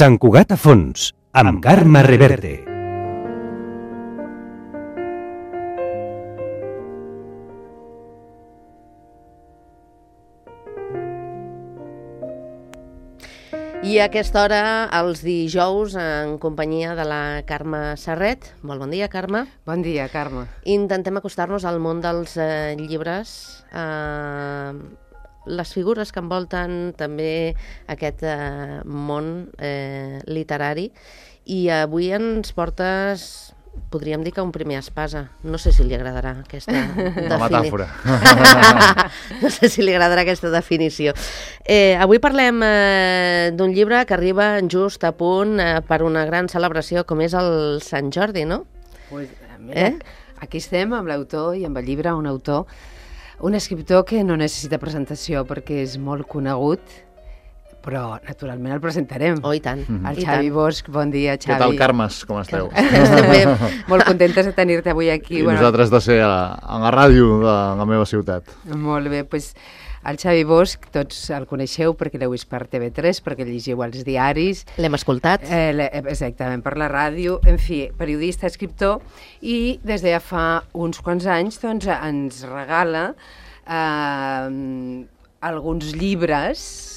Sant Cugat a fons, amb Carme Reverte. I a aquesta hora, els dijous, en companyia de la Carme Serret. Molt bon dia, Carme. Bon dia, Carme. Intentem acostar-nos al món dels llibres, les figures que envolten també aquest món literari. I avui ens portes, podríem dir que un primer espasa. No sé si li agradarà aquesta definició. La metàfora. No sé si li agradarà aquesta definició. Avui parlem d'un llibre que arriba just a punt per una gran celebració com és el Sant Jordi, no? Pues, mira, aquí estem amb l'autor i amb el llibre, un escriptor que no necessita presentació perquè és molt conegut, però naturalment el presentarem. Oh, i tant. El Xavi Bosch, bon dia, Xavi. Què tal, Carmes? Com esteu? Estem bé, molt contentes de tenir-te avui aquí. I nosaltres de ser a la ràdio de la meva ciutat. Molt bé, doncs el Xavi Bosch, tots el coneixeu perquè l'heu vist per TV3, perquè llegiu els diaris. L'hem escoltat. Exactament, per la ràdio, en fi, periodista, escriptor, i des de ja fa uns quants anys doncs, ens regala alguns llibres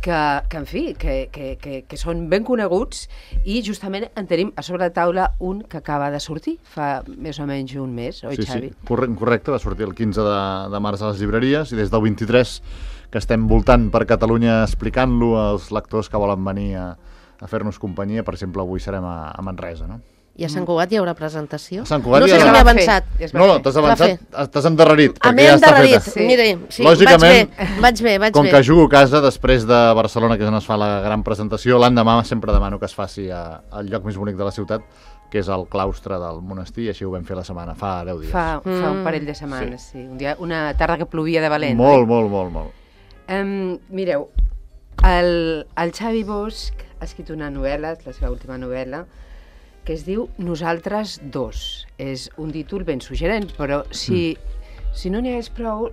que en fi, que són ben coneguts, i justament en tenim a sobre la taula un que acaba de sortir fa més o menys un mes, oi, Xavi? Sí, correcte, va sortir el 15 de març a les llibreries, i des del 23 que estem voltant per Catalunya explicant-lo als lectors que volen venir a fer-nos companyia. Per exemple, avui serem a Manresa, no? I a Sant Cugat hi haurà presentació? A Sant Cugat no sé si m'he avançat. No, t'has avançat, t'has endarrerit. M'he endarrerit, mira, sí, lògicament, vaig bé. Com que jugo a casa després de Barcelona, que és on es fa la gran presentació, l'endemà sempre demano que es faci al lloc més bonic de la ciutat, que és el claustre del monestir, i així ho vam fer la setmana, fa 10 dies. Fa un parell de setmanes, sí. Un dia, una tarda que plovia de valent. Molt. Mireu, el Xavi Bosch ha escrit una novel·la, la seva última novel·la, que es diu Nosaltres dos. És un títol ben suggerent, però si no n'hi hagués prou,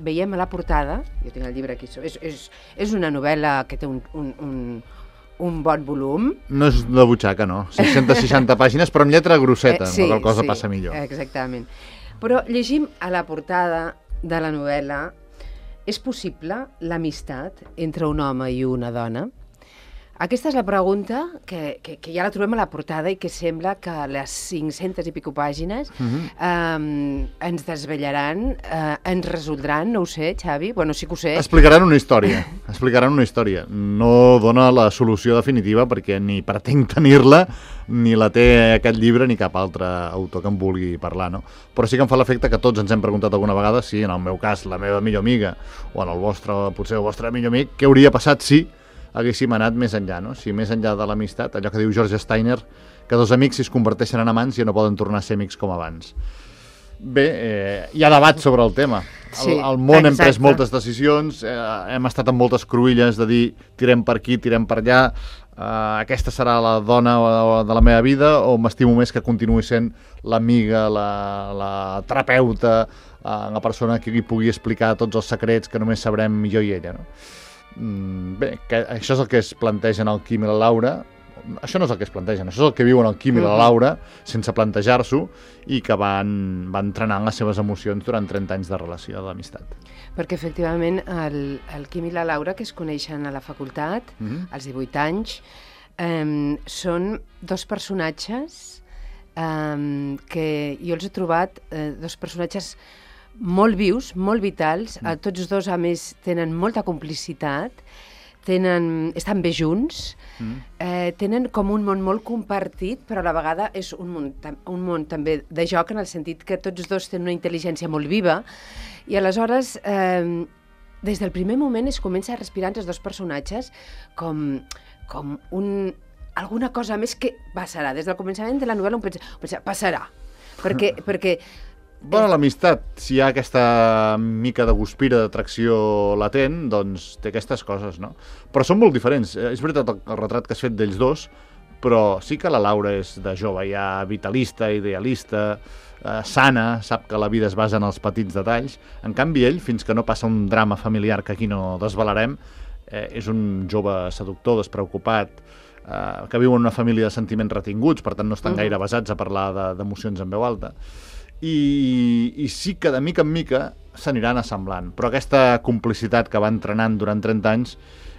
veiem a la portada, jo tinc el llibre aquí, és una novel·la que té un bon volum. No és de butxaca, no. 660 pàgines, però en lletra grosseta, la qual cosa passa millor. Exactament. Però llegim a la portada de la novel·la: és possible l'amistat entre un home i una dona? Aquesta és la pregunta que ja la trobem a la portada i que sembla que les 500 i pico pàgines ens desvetllaran, ens resoldran, no ho sé, Xavi, bueno, sí que ho sé. Explicaran una història. No dona la solució definitiva perquè ni pretenc tenir-la, ni la té aquest llibre ni cap altre autor que em vulgui parlar, no? Però sí que em fa l'efecte que tots ens hem preguntat alguna vegada si, en el meu cas, la meva millor amiga, o en el vostre, potser el vostre millor amic, què hauria passat si haguéssim anat més enllà, no? Si més enllà de l'amistat, allò que diu George Steiner, que dos amics si es converteixen en amants ja no poden tornar a ser amics com abans. Bé, hi ha debat sobre el tema. Sí, al món hem pres moltes decisions, hem estat amb moltes cruïlles de dir tirem per aquí, tirem per allà, aquesta serà la dona de la meva vida, o m'estimo més que continuï sent l'amiga, la terapeuta, la persona que li pugui explicar tots els secrets que només sabrem jo i ella, no? Bé, això és el que es planteja en el Quim i la Laura. Això no és el que es plantegen, això és el que viuen el Quim i la Laura sense plantejar-s'ho, i que van entrenant les seves emocions durant 30 anys de relació d'amistat. Perquè efectivament el Quim i la Laura, que es coneixen a la facultat als 18 anys, són dos personatges que jo els he trobat dos personatges molt vius, molt vitals, tots dos a més tenen molta complicitat, estan bé junts, tenen com un món molt compartit, però a la vegada és un món també de joc, en el sentit que tots dos tenen una intel·ligència molt viva, i aleshores des del primer moment es comença a respirar entre els dos personatges com alguna cosa més que passarà. Des del començament de la novel·la un pensa passarà, perquè Bueno, l'amistat, si hi ha aquesta mica de guspira, d'atracció latent, doncs té aquestes coses, no? Però són molt diferents. És veritat el retrat que has fet d'ells dos, però sí que la Laura és de jove ja vitalista, idealista, sana, sap que la vida es basa en els petits detalls. En canvi, ell, fins que no passa un drama familiar que aquí no desvelarem, és un jove seductor, despreocupat, que viuen una família de sentiments retinguts, per tant no estan gaire basats a parlar d'emocions en veu alta. I sí que de mica en mica s'aniran assemblant, però aquesta complicitat que va entrenant durant 30 anys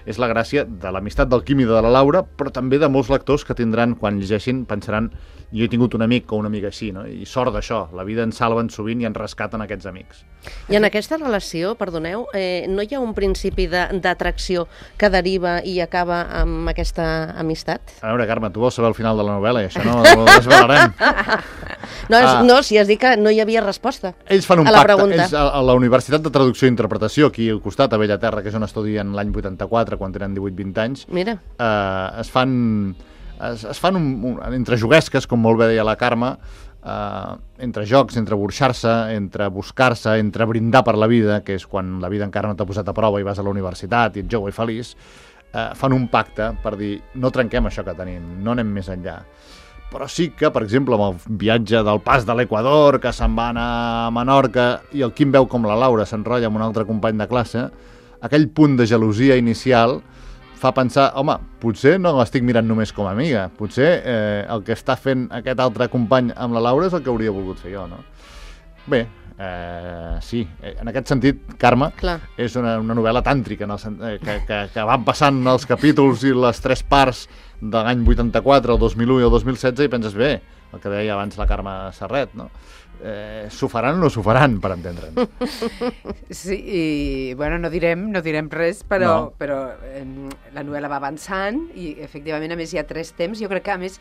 és la gràcia de l'amistat del Quim i de la Laura, però també de molts lectors que tindran, quan llegeixin, pensaran jo he tingut un amic o una amiga així, no? I sort d'això, la vida ens salven sovint i ens rescaten aquests amics. I en aquesta relació, perdoneu, no hi ha un principi d'atracció que deriva i acaba amb aquesta amistat? A veure, Carme, tu vols saber el final de la novel·la i això no ho desvelarem. No, si has dit que no hi havia resposta Ells fan un a la pacte. pregunta. Ells, a la Universitat de Traducció i Interpretació, aquí al costat, a Bellaterra, que és on estudien l'any 84, quan tenen 18-20 anys, Mira. es fan entre juguesques, com molt bé deia la Carme, entre jocs, entre burxar-se, entre buscar-se, entre brindar per la vida, que és quan la vida encara no t'ha posat a prova i vas a la universitat i ets jove i feliç, fan un pacte per dir no trenquem això que tenim, no anem més enllà. Però sí que, per exemple, amb el viatge del pas de l'Equador, que se'n va anar a Menorca, i el Quim veu com la Laura s'enrotlla amb un altre company de classe, aquell punt de gelosia inicial fa pensar, home, potser no l'estic mirant només com a amiga, potser el que està fent aquest altre company amb la Laura és el que hauria volgut fer jo, no? Bé, sí, en aquest sentit, Carme, és una novel·la tàntrica, que van passant els capítols i les 3 parts de l'any 84, el 2001 i el 2016 i penses, bé, el que deia abans la Carme Serret, no? S'ho faran o no s'ho faran, per entendre'ns. Sí, i bueno, no direm res, però la novel·la va avançant i efectivament, a més, hi ha 3 temps. Jo crec que, a més,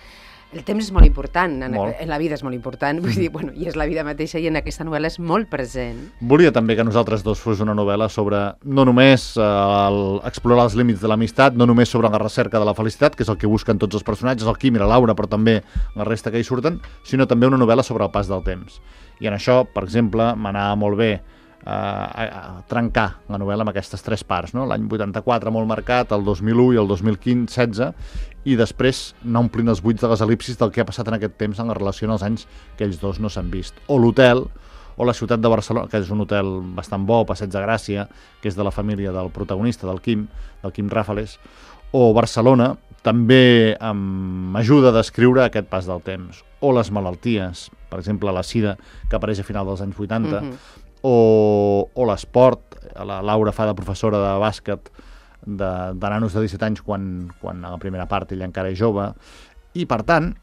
el temps és molt important, en la vida és molt important, vull dir, bueno, i és la vida mateixa i en aquesta novel·la és molt present. Volia també que nosaltres dos fos una novel·la sobre no només explorar els límits de l'amistat, no només sobre la recerca de la felicitat, que és el que busquen tots els personatges, el Quim i la Laura, però també la resta que hi surten, sinó també una novel·la sobre el pas del temps. I en això, per exemple, m'anava molt bé a trencar la novel·la amb aquestes 3 parts, no? L'any 84 molt marcat, el 2001 i el 2015-16, i després anar omplint els buits de les elipsis del que ha passat en aquest temps en la relació en els anys que ells dos no s'han vist. O l'hotel, o la ciutat de Barcelona, que és un hotel bastant bo, Passeig de Gràcia, que és de la família del protagonista, del Quim Ràfales, o Barcelona, també m'ajuda a descriure aquest pas del temps. O les malalties, per exemple, la sida, que apareix a final dels anys 80, o l'esport, la Laura fa de professora de bàsquet de nanos de 17 anys quan a la primera part ella encara és jove, i per tant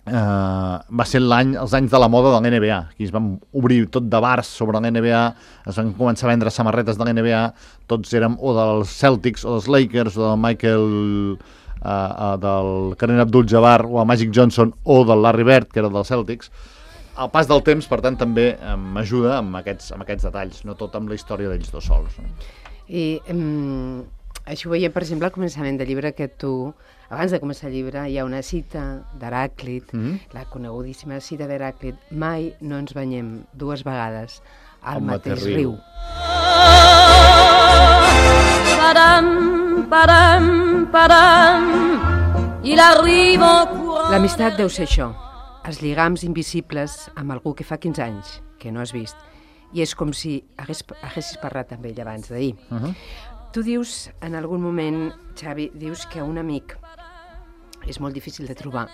va ser els anys de la moda de l'NBA. Aquí es van obrir tot de bars sobre l'NBA, es van començar a vendre samarretes de l'NBA, tots érem o dels Celtics o dels Lakers o del Michael del Kareem Abdul-Jabbar o el Magic Johnson o del Larry Bird, que era dels Celtics. El pas del temps, per tant, també m'ajuda amb aquests detalls, no tot amb la història d'ells dos sols. I això ho veiem, per exemple, al començament del llibre, que tu, abans de començar el llibre, hi ha una cita d'Heràclit, la conegudíssima cita d'Heràclit: mai no ens banyem 2 vegades al mateix riu. L'amistat deu ser això, els lligams invisibles amb algú que fa 15 anys que no has vist, i és com si haguessis parlat amb ell abans d'ahir. Tu dius, en algun moment, Xavi, dius que un amic és molt difícil de trobar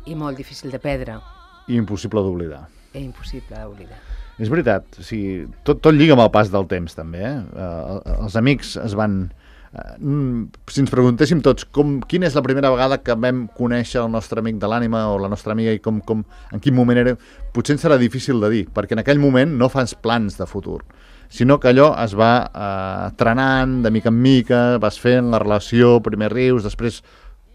i molt difícil de perdre. I impossible d'oblidar. I impossible d'oblidar. És veritat, o sigui, tot lliga amb el pas del temps, també. Els amics es van... Si ens preguntéssim tots quina és la primera vegada que vam conèixer el nostre amic de l'ànima o la nostra amiga i en quin moment era, potser ens serà difícil de dir, perquè en aquell moment no fas plans de futur, sinó que allò es va trenant de mica en mica, vas fent la relació, primer rius, després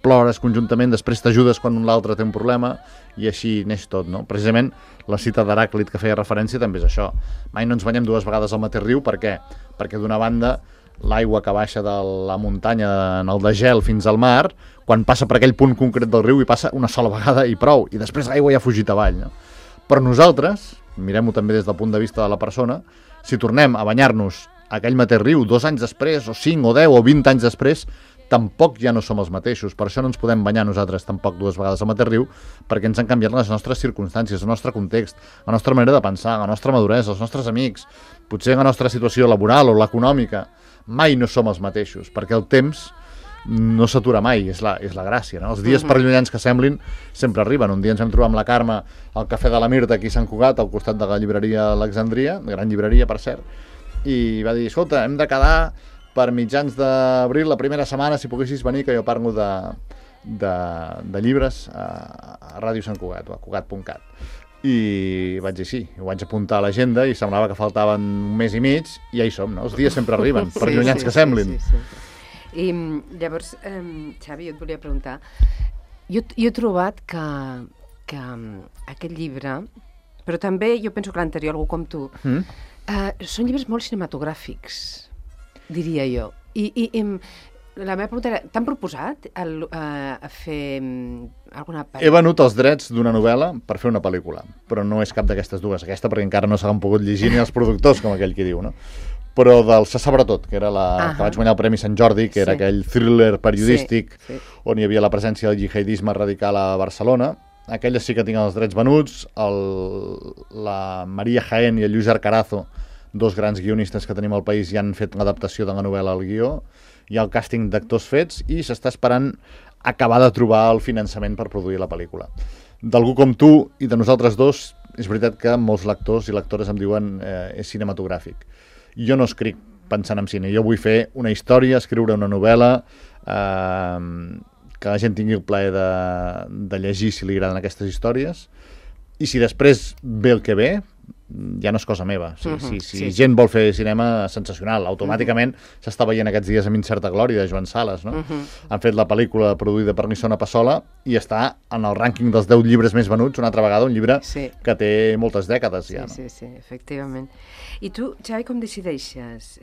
plores conjuntament, després t'ajudes quan l'altre té un problema, i així neix tot, no? Precisament la cita d'Heràclit que feia referència també és això. Mai no ens banyem 2 vegades al mateix riu, per què? Perquè d'una banda l'aigua que baixa de la muntanya en el degel fins al mar, quan passa per aquell punt concret del riu i passa una sola vegada i prou, i després l'aigua ja ha fugit avall, no? Però nosaltres, mirem-ho també des del punt de vista de la persona, si tornem a banyar-nos a aquell mateix riu 2 anys després, o 5, o 10, o 20 anys després, tampoc ja no som els mateixos. Per això no ens podem banyar nosaltres tampoc 2 vegades al mateix riu, perquè ens han canviat les nostres circumstàncies, el nostre context, la nostra manera de pensar, la nostra maduresa, els nostres amics, potser la nostra situació laboral o l'econòmica. Mai no som els mateixos, perquè el temps no s'atura mai, és la gràcia, no? Els dies perllunyans que semblin sempre arriben. Un dia ens vam trobar amb la Carme al Cafè de la Mirta aquí a Sant Cugat, al costat de la llibreria Alexandria, gran llibreria, per cert, i va dir, escolta, hem de quedar per mitjans d'abril, la primera setmana, si poguessis venir, que jo parlo de llibres a Ràdio Sant Cugat, o a cugat.cat. I vaig dir sí, ho vaig apuntar a l'agenda i semblava que faltaven un mes i mig i ja hi som, no? Els dies sempre arriben, per llunyans que semblin. Sí. I llavors, Xavi, jo et volia preguntar, jo he trobat que aquest llibre, però també jo penso que l'anterior, algú com tu, són llibres molt cinematogràfics, diria jo. I la meva pregunta era, t'han proposat a fer alguna pel·lícula? He venut els drets d'una novel·la per fer una pel·lícula, però no és cap d'aquestes dues. Aquesta perquè encara no s'han pogut llegir ni els productors, com aquell qui diu, no? Però del Se sabrà tot, que era que vaig guanyar el Premi Sant Jordi, que era aquell thriller periodístic on hi havia la presència del jihadisme radical a Barcelona. Aquella sí que tinc els drets venuts. La Maria Jaén i el Lluís Arcarazo, dos grans guionistes que tenim al país, ja han fet l'adaptació de la novel·la al guió. Hi ha el càsting d'actors fets i s'està esperant acabar de trobar el finançament per produir la pel·lícula. D'algú com tu i de nosaltres dos, és veritat que molts lectors i lectores em diuen és cinematogràfic. Jo no escric pensant en cine, jo vull fer una història, escriure una novel·la, que la gent tingui el plaer de llegir si li agraden aquestes històries, i si després ve el que ve, ja no és cosa meva. Si gent vol fer cinema, sensacional. Automàticament s'està veient aquests dies amb Incerta Glòria, de Joan Sales, no? Han fet la pel·lícula produïda per Nisona Passola i està en el rànquing dels 10 llibres més venuts, una altra vegada, un llibre que té moltes dècades ja. Sí, efectivament. I tu, Xavi, com decideixes?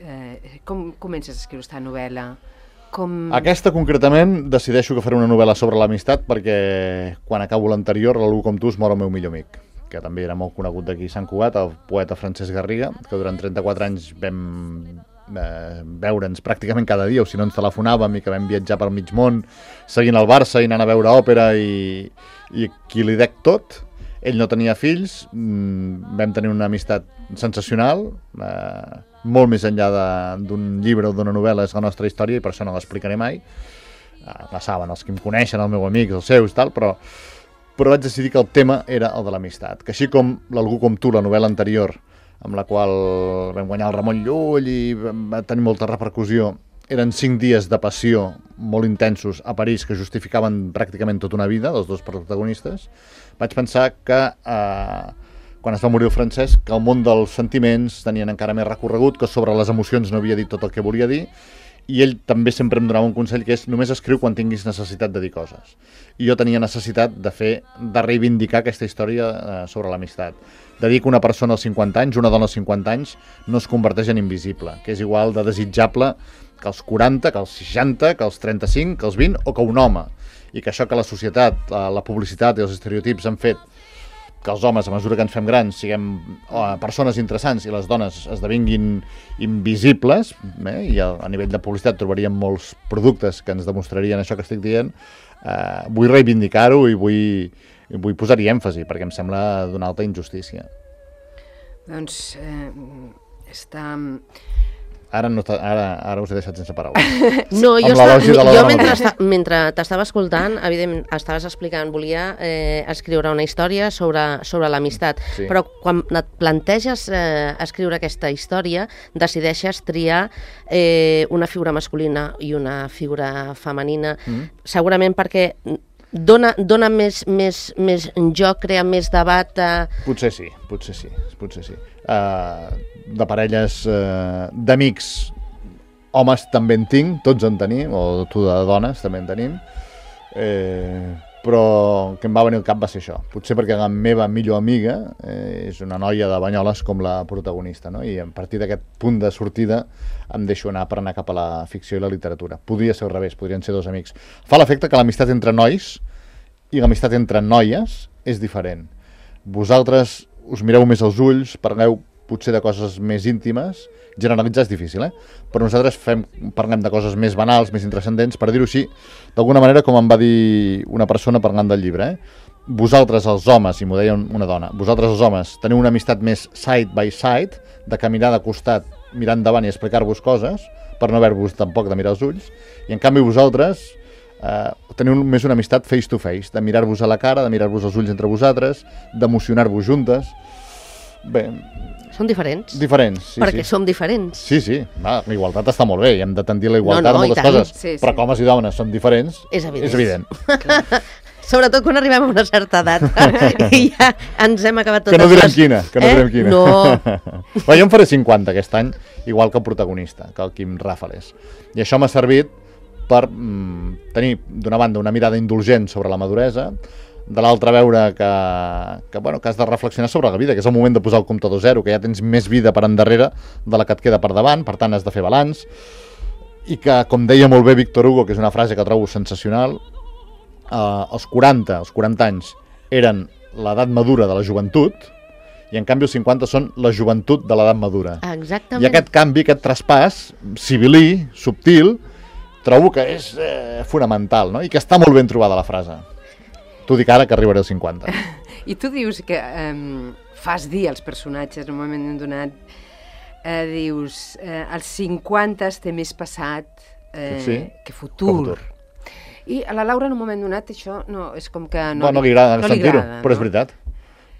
Com comences a escriure aquesta novel·la? Aquesta, concretament, decideixo que faré una novel·la sobre l'amistat perquè quan acabo l'anterior, l'algú com tu es mor el meu millor amic, que també era molt conegut d'aquí a Sant Cugat, el poeta Francesc Garriga, que durant 34 anys vam veure'ns pràcticament cada dia, o si no ens telefonàvem, i que vam viatjar pel mig món seguint el Barça i anant a veure òpera, i qui li dec tot. Ell no tenia fills, vam tenir una amistat sensacional, molt més enllà d'un llibre o d'una novel·la, és la nostra història i per això no l'explicaré mai. La saben els que em coneixen, el meu amic, els seus, tal, però vaig decidir que el tema era el de l'amistat, que així com l'Algú com tu, la novel·la anterior, amb la qual vam guanyar el Ramon Llull i va tenir molta repercussió, eren 5 dies de passió molt intensos a París que justificaven pràcticament tota una vida dels dos protagonistes, vaig pensar que quan es va morir el Francesc, que el món dels sentiments tenien encara més recorregut, que sobre les emocions no havia dit tot el que volia dir, i ell també sempre em donava un consell que és només escriu quan tinguis necessitat de dir coses. I jo tenia necessitat de reivindicar aquesta història sobre l'amistat. De dir que una persona als 50 anys, una dona als 50 anys, no es converteix en invisible, que és igual de desitjable que els 40, que els 60, que els 35, que els 20 o que un home. I que això que la societat, la publicitat i els estereotips han fet que els homes, a mesura que ens fem grans, siguem persones interessants i les dones esdevinguin invisibles, i a nivell de publicitat trobaríem molts productes que ens demostrarien això que estic dient, vull reivindicar-ho i vull posar-hi èmfasi, perquè em sembla d'una alta injustícia. Doncs està... Ara us he deixat sense paraules. No, jo mentre t'estava escoltant, evidentment, estaves explicant, volia escriure una història sobre l'amistat, però quan et planteges escriure aquesta història, decideixes triar una figura masculina i una figura femenina, segurament perquè dona més joc, crea més debat... Potser sí. De parelles d'amics, homes també en tinc, tots en tenim, o tu de dones també en tenim, però el que em va venir al cap va ser això. Potser perquè la meva millor amiga és una noia de Banyoles com la protagonista, no? I a partir d'aquest punt de sortida em deixo anar per anar cap a la ficció i la literatura. Podria ser al revés, podrien ser dos amics. Fa l'efecte que l'amistat entre nois i l'amistat entre noies és diferent. Vosaltres us mireu més als ulls, parleu potser de coses més íntimes, generalitzar és difícil, però nosaltres parlem de coses més banals, més intrascendents, per dir-ho així, d'alguna manera, com em va dir una persona parlant del llibre, vosaltres els homes, i m'ho deia una dona, vosaltres els homes teniu una amistat més side by side, de caminar de costat, mirar endavant i explicar-vos coses, per no haver-vos tampoc de mirar els ulls, i en canvi vosaltres teniu més una amistat face to face, de mirar-vos a la cara, de mirar-vos els ulls entre vosaltres, d'emocionar-vos juntes. Bé... Són diferents. Diferents, sí, perquè som diferents. Sí, sí. Va, la igualtat està molt bé i hem de tendir la igualtat a moltes coses. Sí, sí. Però com homes i dones són diferents, és evident. Sobretot quan arribem a una certa edat i ja ens hem acabat totes les... Que no direm quina. No. Jo em faré 50 aquest any, igual que el protagonista, que el Quim Ràfales. I això m'ha servit per tenir, d'una banda, una mirada indulgent sobre la maduresa, de l'altra veure que has de reflexionar sobre la vida, que és el moment de posar el comptador zero, que ja tens més vida per endarrere de la que et queda per davant, per tant has de fer balanç, i que, com deia molt bé Víctor Hugo, que és una frase que trobo sensacional, els 40 anys eren l'edat madura de la joventut, i en canvi els 50 són la joventut de l'edat madura. Exactament. I aquest canvi, aquest traspàs civilí, subtil, trobo que és fonamental, no? I que està molt ben trobada la frase. T'ho dic ara que arribaré als 50. I tu dius que fas dir als personatges en un moment donat, dius, als 50 té més passat que futur. I a la Laura en un moment donat això no, és com que no li agrada sentir-ho, però és veritat.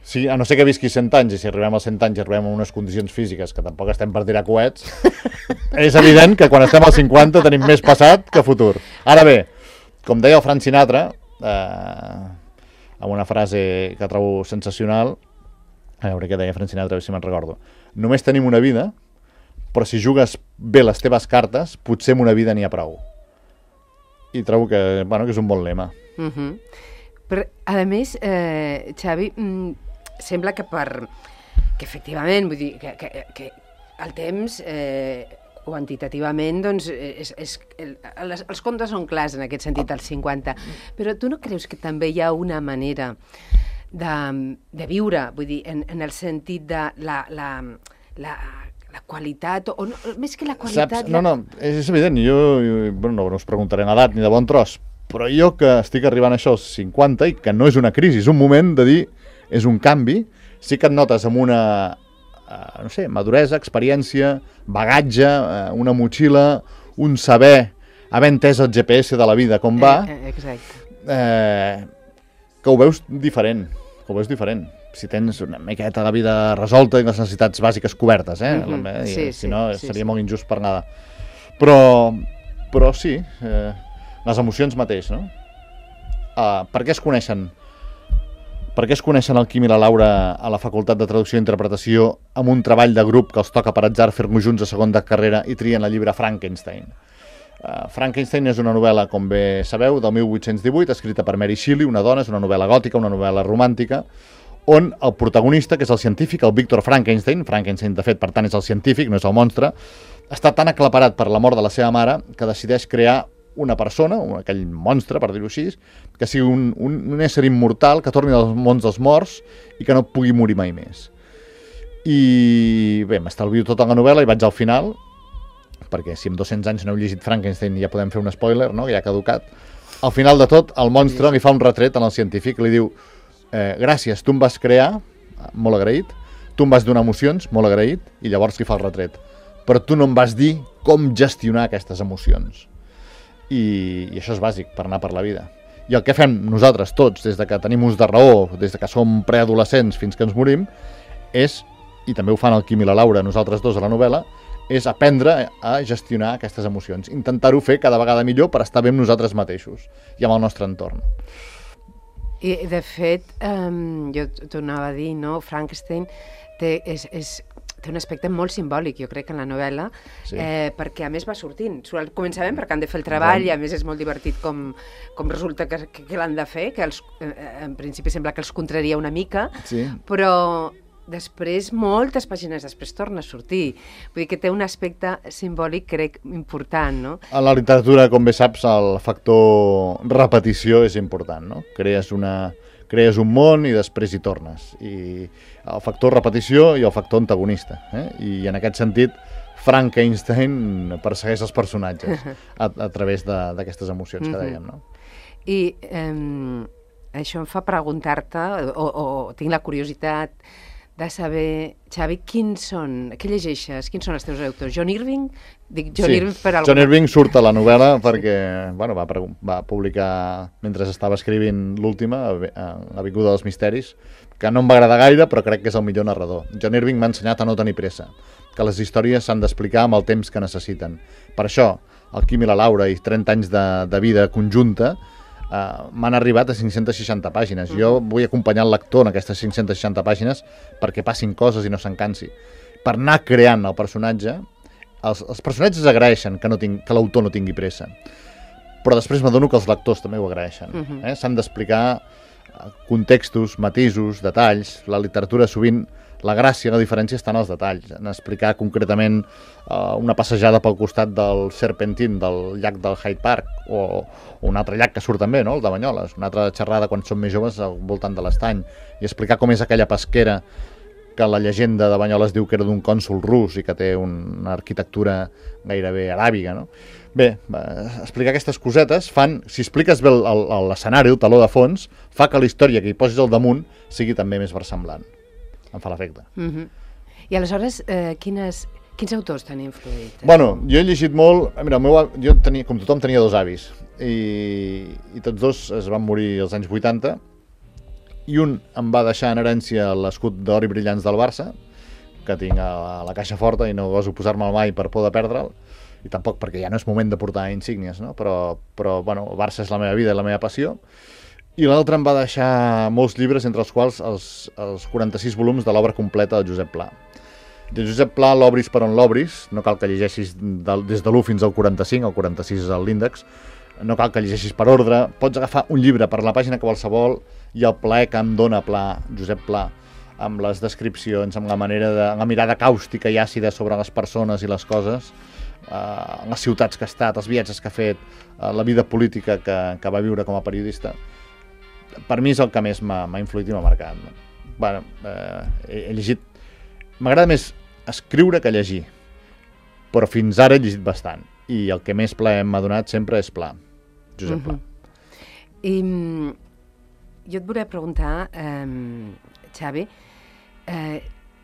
Sí, a no ser que visqui 100 anys, i si arribem als 100 anys i arribem a unes condicions físiques que tampoc estem per tirar coets, és evident que quan estem als 50 tenim més passat que futur. Ara bé, com deia el Frank Sinatra, amb una frase que trobo sensacional, a veure què deia Frank Sinatra, a veure si me'n recordo. Només tenim una vida, però si jugues bé les teves cartes, potser amb una vida n'hi ha prou. I trobo que és un bon lema. Però, a més, Xavi, sembla que efectivament, vull dir, que el temps... quantitativament, doncs, els comptes són clars en aquest sentit, als 50. Però tu no creus que també hi ha una manera de viure, vull dir, en el sentit de la qualitat, o no, més que la qualitat... Saps? No, és evident, jo no us preguntaré en edat ni de bon tros, però jo que estic arribant a això als 50 i que no és una crisi, és un moment de dir, és un canvi, sí que et notes amb una... no sé, maduresa, experiència, bagatge, una motxilla, un saber, haver entès el GPS de la vida com va, que ho veus diferent, si tens una miqueta la vida resolta i les necessitats bàsiques cobertes, si no seria molt injust per nada. Però sí, les emocions mateix, no? Per què es coneixen el Quim i la Laura a la Facultat de Traducció i Interpretació amb un treball de grup que els toca per atzar fer-lo junts a segon de carrera i trien el llibre Frankenstein? Frankenstein és una novel·la, com bé sabeu, del 1818, escrita per Mary Shelley, una dona, és una novel·la gòtica, una novel·la romàntica, on el protagonista, que és el científic, el Victor Frankenstein, de fet, per tant, és el científic, no és el monstre, està tan aclaparat per la mort de la seva mare que decideix crear una persona, aquell monstre, per dir-ho així, que sigui un ésser immortal, que torni als mons dels morts i que no pugui morir mai més. I bé, m'estalvio tota la novel·la i vaig al final, perquè si en 200 anys no heu llegit Frankenstein ja podem fer un spoiler, no?, que ja ha caducat. Al final de tot, el monstre li fa un retret al científic, li diu gràcies, tu em vas crear, molt agraït, tu em vas donar emocions, molt agraït, i llavors li fa el retret. Però tu no em vas dir com gestionar aquestes emocions. I això és bàsic per anar per la vida. I el que fem nosaltres tots, des de que tenim ús de raó, des de que som preadolescents fins que ens morim, és, i també ho fan el Quim i la Laura, nosaltres dos a la novel·la, és aprendre a gestionar aquestes emocions, intentar-ho fer cada vegada millor per estar bé amb nosaltres mateixos i amb el nostre entorn. I, de fet, jo tornava a dir, no? Frankenstein té un aspecte molt simbòlic, jo crec, en la novel·la, perquè a més va sortint. Començament perquè han de fer el treball i a més és molt divertit com resulta que l'han de fer, que en principi sembla que els contraria una mica, però després, moltes pàgines després torna a sortir. Vull dir que té un aspecte simbòlic, crec, important, no? A la literatura, com bé saps, el factor repetició és important, no? Crees un món i després hi tornes. I el factor repetició i el factor antagonista. I en aquest sentit, Frankenstein persegueix els personatges a través d'aquestes emocions que dèiem, no? I això em fa preguntar-te, o tinc la curiositat de saber, Xavi, què llegeixes? Quins són els teus autors? John Irving? Dic John Irving per alguna... John Irving surt a la novel·la perquè va publicar, mentre estava escrivint l'última, L'Avinguda dels Misteris, que no em va agradar gaire, però crec que és el millor narrador. John Irving m'ha ensenyat a no tenir pressa, que les històries s'han d'explicar amb el temps que necessiten. Per això, el Quim i la Laura i 30 anys de vida conjunta m'han arribat a 560 pàgines. Jo vull acompanyar el lector en aquestes 560 pàgines perquè passin coses i no se'n cansi. Per anar creant el personatge, els personatges agraeixen que l'autor no tingui pressa, però després m'adono que els lectors també ho agraeixen. S'han d'explicar contextos, matisos, detalls. La literatura sovint, la gràcia, la diferència està en els detalls, en explicar concretament una passejada pel costat del Serpentine, del llac del Hyde Park, o un altre llac que surt també, no? El de Banyoles, una altra xerrada quan som més joves al voltant de l'estany, i explicar com és aquella pesquera que la llegenda de Banyoles diu que era d'un cònsol rus i que té una arquitectura gairebé aràbiga, no? Bé, explicar aquestes cosetes fan, si expliques bé l'escenari, el teló de fons, fa que la història que hi posis al damunt sigui també més versemblant. Em fa l'efecte. I aleshores, quins autors t'han influït? Bueno, jo he llegit molt... Mira, jo com tothom tenia 2 avis i tots 2 es van morir als anys 80 i un em va deixar en herència l'escut d'or i brillants del Barça, que tinc a la caixa forta i no goso posar-me'l mai per por de perdre'l, i tampoc perquè ja no és moment de portar insígnies, no? Però bueno, el Barça és la meva vida i la meva passió. I l'altre em va deixar molts llibres, entre els quals els 46 volums de l'obra completa del Josep Pla. De Josep Pla, l'obris per on l'obris, no cal que llegeixis des de l'1 fins al 45, el 46 és l'índex, no cal que llegeixis per ordre, pots agafar un llibre per la pàgina qualsevol i el plaer que em dona Pla, Josep Pla, amb les descripcions, amb la mirada càustica i àcida sobre les persones i les coses, les ciutats que ha estat, els viatges que ha fet, la vida política que va viure com a periodista. Per mi és el que més m'ha influït i m'ha marcat. Bueno, he llegit... M'agrada més escriure que llegir, però fins ara he llegit bastant. I el que més plaer m'ha donat sempre és Pla, Josep Pla. I jo et volia preguntar, Xavi,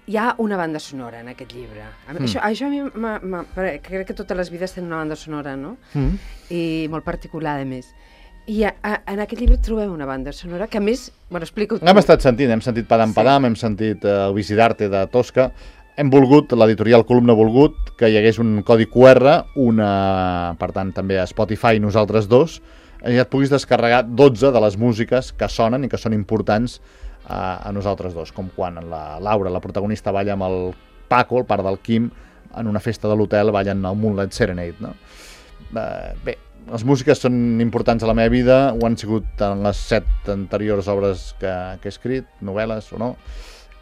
hi ha una banda sonora en aquest llibre. Això a mi crec que totes les vides tenen una banda sonora, no? I molt particular, a més. I en aquest llibre trobem una banda sonora que, a més, bueno, explica-ho tu. Hem estat sentint, hem sentit Padam Padam, hem sentit el Visidarte de Tosca. Hem volgut, l'editorial Columna ha volgut que hi hagués un codi QR, per tant, també a Spotify, nosaltres 2, i et puguis descarregar 12 de les músiques que sonen i que són importants a nosaltres 2, com quan la Laura, la protagonista, balla amb el Paco, el pare del Quim, en una festa de l'hotel ballen el Moonlight Serenade, no? Bé, les músiques són importants a la meva vida, ho han sigut en les 7 anteriors obres que he escrit, novel·les o no,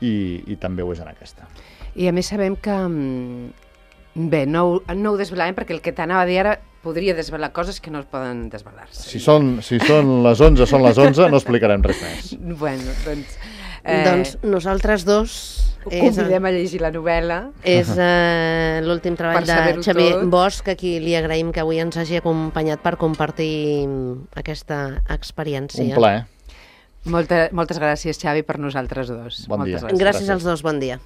i també ho és en aquesta. I a més sabem que... Bé, no ho desvelarem perquè el que t'anava a dir ara podria desvelar coses que no es poden desvelar-se. Si són les 11, són les 11, no explicarem res més. Bueno, doncs... Doncs nosaltres 2... Convidem a llegir la novel·la. És l'últim treball de Xavier Bosch, a qui li agraïm que avui ens hagi acompanyat per compartir aquesta experiència. Un plaer. Moltes gràcies, Xavi, per nosaltres 2. Bon dia. Gràcies als 2, bon dia.